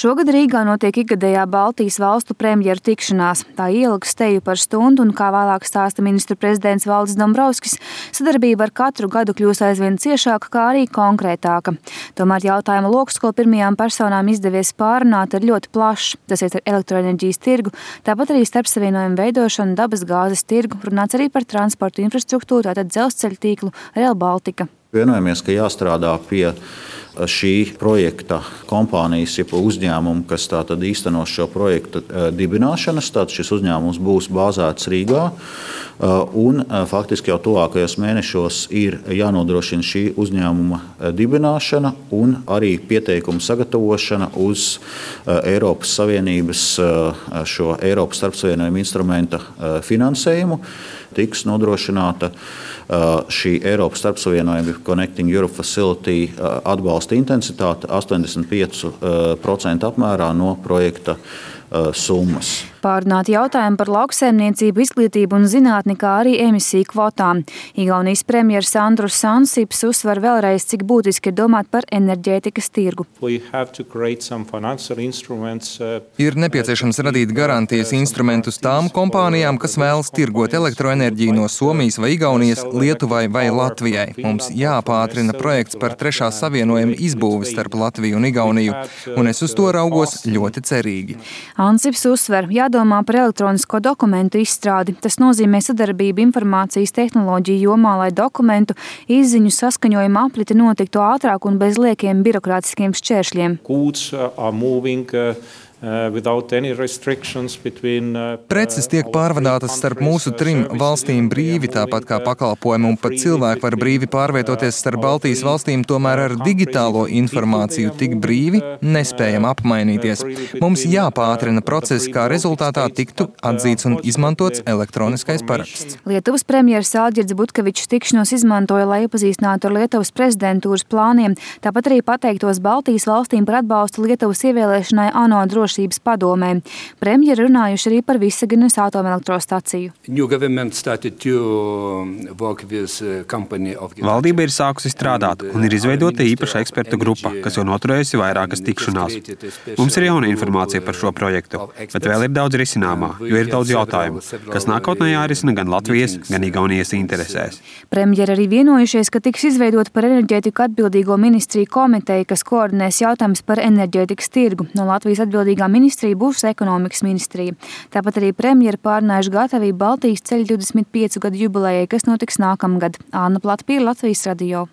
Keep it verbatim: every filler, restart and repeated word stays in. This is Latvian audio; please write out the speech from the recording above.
Šogad Rīgā notiek ikgadējā Baltijas valstu premjeru tikšanās. Tā ielgs teju par stundu un, kā vēlāk stāsta ministru prezidents Valdis Dombrovskis, sadarbība ar katru gadu kļūs aizvien ciešāka, kā arī konkrētāka. Tomēr jautājuma loks, ko pirmajām personām izdevies pārunāt, ir ļoti plašs. Tas ir ar elektroenerģijas tirgu, tāpat arī starpsavienojumu veidošanu, dabas gāzes tirgu, runāts arī par transportu infrastruktūru, tātad dzelzceļa tīklu Rail Baltica. Vienojamies, ka jāstrādā pie šī projekta kompānijas, jeb uzņēmumu, kas tātad īstenos šo projektu dibināšanas. Tātad šis uzņēmums būs bāzēts Rīgā, un faktiski jau tuvākajos mēnešos ir jānodrošina šī uzņēmuma dibināšana un arī pieteikuma sagatavošana uz Eiropas Savienības šo Eiropas starpsavienojumu instrumenta finansējumu. Tiks nodrošināta šī Eiropas starpsavienojuma Connecting Europe Facility atbalsta intensitāte astoņdesmit pieci procenti apmērā no projekta summas. Pārunāti jautājumi par lauksaimniecību, izglītību un zinātni, kā arī emisiju kvotām. Igaunijas premjeras Andrus Ansips uzsver vēlreiz, cik būtiski ir domāt par enerģētikas tirgu. Ir nepieciešams radīt garantijas instrumentus tām kompānijām, kas vēlas tirgot elektroenerģiju no Somijas vai Igaunijas, Lietuvai vai Latvijai. Mums jāpātrina projekts par trešā savienojuma izbūvi starp Latviju un Igauniju, un es uz to raugos ļoti cerīgi. Ansips uzsver, jādomā par elektronisko dokumentu izstrādi. Tas nozīmē sadarbību informācijas tehnoloģiju jomā, lai dokumentu izziņu saskaņojuma aprite notiktu ātrāk un bez liekiem birokrātiskiem šķēršļiem. Preces tiek pārvadātas starp mūsu trim valstīm brīvi, tāpat kā pakalpojumi, un pat cilvēki var brīvi pārvietoties starp Baltijas valstīm, tomēr ar digitālo informāciju tik brīvi nespējam apmainīties. Mums jāpātrina procesi, kā rezultātā tiktu atzīts un izmantots elektroniskais paraksts. Lietuvas premjeras Alģirds Butkevičs tikšanos izmantoja, lai iepazīstinātu ar Lietuvas prezidentūras plāniem, tāpat arī pateiktos Baltijas valstīm par atbalstu Lietuvas ievēlēšanai ANO drošības padomē. Premjeri runājuši arī par Visaginas atomelektrostaciju. Valdība ir sākusi strādāt un ir izveidota īpaša ekspertu grupa, kas jau noturējusi vairākas tikšanās. Mums ir jauna informācija par šo projektu, bet vēl ir daudz risināmā, jo ir daudz jautājumu, kas nākotnē jārisina gan Latvijas, gan Igaunijas interesēs. Premjeri arī vienojušies, ka tiks izveidota par enerģētiku atbildīgo ministriju komiteju, kas koordinēs jautājumus par enerģētikas tirgu. No Latvijas atbildīgā ministrija būs ekonomikas ministrija. Tāpat arī premjeri pārunājuši gatavību Baltijas ceļa divdesmit piecu gadu jubilejai, kas notiks nākamgad. Anna Platpīra, Latvijas radio.